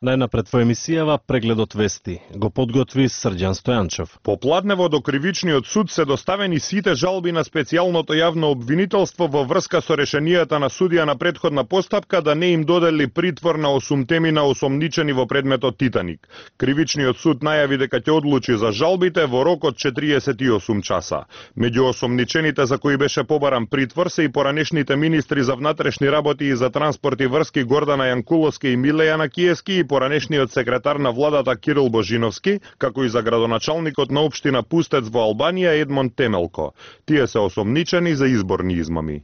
Најнапред во емисијава Прегледот вести го подготви Срđan Стојанчев. По пладнево до Кривичниот суд се доставени сите жалби на специјалното јавно обвинителство во врска со решенијата на судија на претходна постапка да не им додели притвор на 8 осомничени во предметот Титаник. Кривичниот суд најави дека ќе одлучи за жалбите во рок од 48 часа. Меѓу осомничените за кои беше побаран притвор се и поранешните министри за внатрешни работи и за транспорт и врски Гордана Јанкуловска и Милејана Киевски и поранешниот секретар на владата Кирил Божиновски, како и за градоначалникот на општина Пустец во Албанија Едмонд Темелко. Тие се осомничени за изборни измами.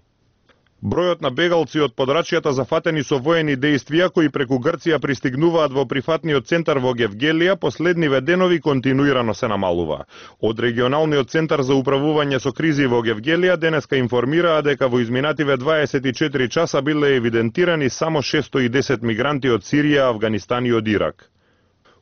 Бројот на бегалци од подрачјата зафатени со воени дејствија кои преку Грција пристигнуваат во прифатниот центар во Гевгелија последниве денови континуирано се намалува. Од регионалниот центар за управување со кризи во Гевгелија денеска информираа дека во изминативе 24 часа биле евидентирани само 610 мигранти од Сирија, Авганистан и од Ирак.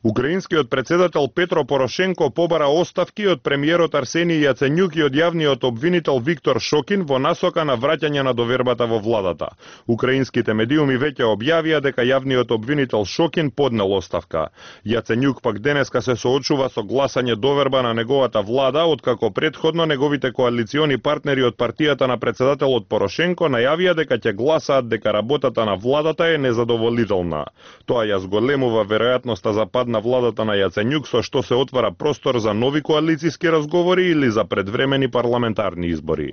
Украинскиот председател Петро Порошенко побара оставки од премиерот Арсенија Јаценјук и од јавниот обвинител Виктор Шокин во насока на враќање на довербата во владата. Украинските медиуми веќе објавија дека јавниот обвинител Шокин поднел оставка. Јаценјук пак денеска се соочува со гласање доверба на неговата влада, откако претходно неговите коалициони партнери од партијата на председателот Порошенко најавија дека ќе гласаат дека работата на владата е незадоволителна. Тоа ја зголемува веројатноста за пад на владата на Јаценјук, со што се отвара простор за нови коалициски разговори или за предвремени парламентарни избори.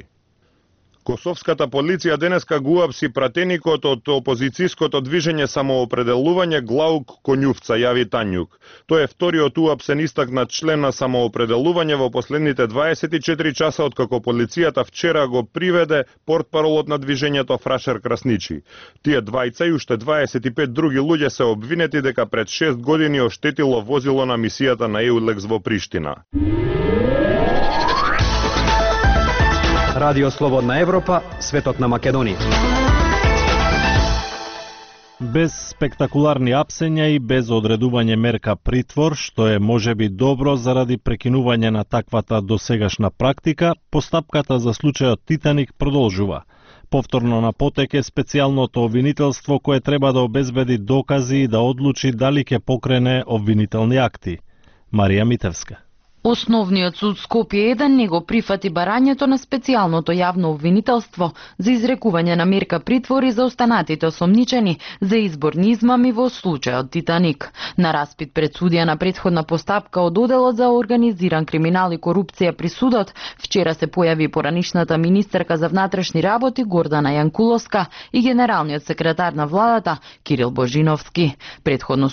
Косовската полиција денеска го уапси пратеникот од опозицијското движење Самоопределување Глаук Конјувца, јави Тањук. Тој е вториот уапсен истакнат член на Самоопределување во последните 24 часа откако полицијата вчера го приведе портпаролот на движењето Фрашер Красничи. Тие двајца и уште 25 други луѓе се обвинети дека пред 6 години оштетило возило на мисијата на Еулекс во Приштина. Радио Слободна Европа, светот на Македонија. Без спектакуларни апсења и без одредување мерка притвор, што е можеби добро заради прекинување на таквата досегашна практика, постапката за случајот Титаник продолжува. Повторно на потек е специјалното обвинителство кое треба да обезбеди докази и да одлучи дали ќе покрене обвинителни акти. Марија Митевска. Основниот суд Скопје 1 не го прифати барањето на специјалното јавно обвинителство за изрекување на мерка притвор и за останатите осомничени за изборни измами во случајот Титаник. На распит пред судија на претходна постапка од Оделот за организиран криминал и корупција при судот, вчера се појави поранишната министерка за внатрешни работи Гордана Јанкуловска и генералниот секретар на владата Кирил Божиновски. Претходно